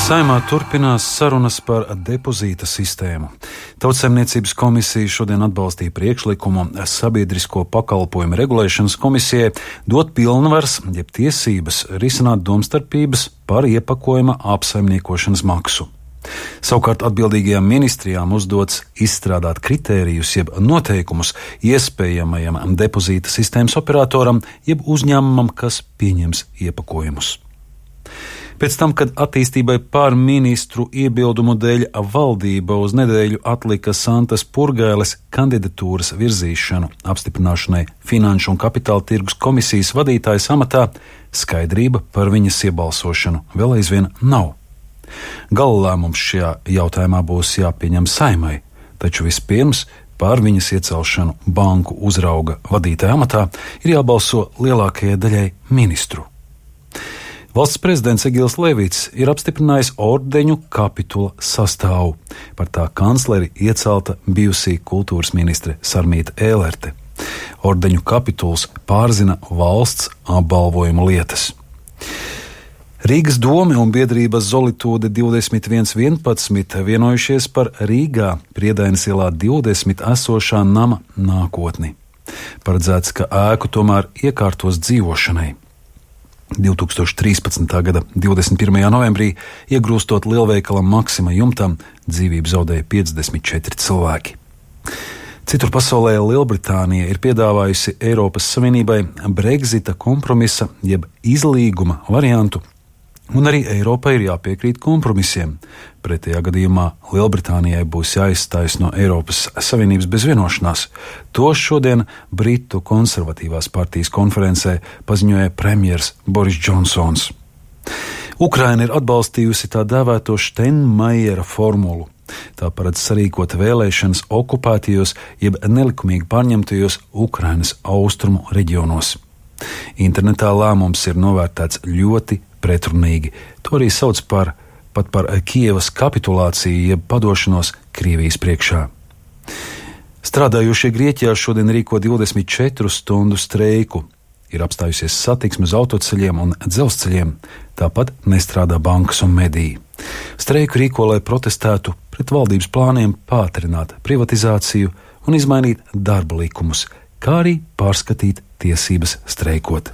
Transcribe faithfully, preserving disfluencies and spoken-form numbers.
Saeimā turpinās sarunas par depozīta sistēmu. Tautsaimniecības komisija šodien atbalstīja priekšlikumu sabiedrisko pakalpojumu regulēšanas komisijai dot pilnvaras, jeb tiesības risināt domstarpības par iepakojuma apsaimniekošanas maksu. Savukārt atbildīgajām ministrijām uzdots izstrādāt kritērijus, jeb noteikumus iespējamajam depozīta sistēmas operatoram, jeb uzņēmumam, kas pieņems iepakojumus. Pēc tam, kad attīstībai pār ministru iebildumu dēļ valdība uz nedēļu atlika Santas Purgailes kandidatūras virzīšanu apstiprināšanai Finanšu un kapitāla tirgus komisijas vadītājas amatā, skaidrība par viņas iebalsošanu vēl aizvien nav. Gala lēmums šajā jautājumā būs jāpieņem Saeimai, taču vispirms par viņas iecelšanu banku uzrauga vadītāja amatā ir jābalso lielākajai daļai ministru. Valsts prezidents Egils Levits ir apstiprinājis ordeņu kapitula sastāvu. Par tā kancleri iecelta bijusī kultūras ministre Sarmīta Ēlerte. Ordeņu kapituls pārzina valsts apbalvojumu lietas. Rīgas dome un biedrība Zolitūde divdesmit viens vienpadsmit vienojušies par Rīgā Priedainas ielā divdesmit esošā nama nākotni. Paredzēts, ka ēku tomēr iekārtos dzīvošanai. divtūkstoš trīspadsmitā gada divdesmit pirmajā novembrī, iegrūstot lielveikala Maksima jumtam, dzīvību zaudēja piecdesmit četri cilvēki. Citur pasaulē Lielbritānija ir piedāvājusi Eiropas Savienībai Brexita kompromisa jeb izlīguma variantu, un arī Eiropai ir jāpiekrīt kompromisiem. Pretējā gadījumā Lielbritānijai būs jāizstājas no Eiropas Savienības bez vienošanās. To šodien Britu konservatīvās partijas konferencē paziņoja premjers Boris Džonsons. Ukraina ir atbalstījusi tā dēvēto Steinmeiera formulu. Tā paredz sarīkot vēlēšanas okupētajos jeb nelikumīgi pārņemtajos Ukrainas austrumu reģionos. Internetā lēmums ir novērtēts ļoti pretrunīgi. To arī sauc par, pat par Kijevas kapitulāciju jeb padošanos Krievijas priekšā. Strādājošie Grieķijā šodien rīko divdesmit četru stundu streiku. Ir apstājusies satiksme uz autoceļiem un dzelzceļiem, tāpat nestrādā bankas un mediji. Streiku rīko, lai protestētu pret valdības plāniem pātrināt privatizāciju un izmainīt darba likumus, kā arī pārskatīt tiesības streikot.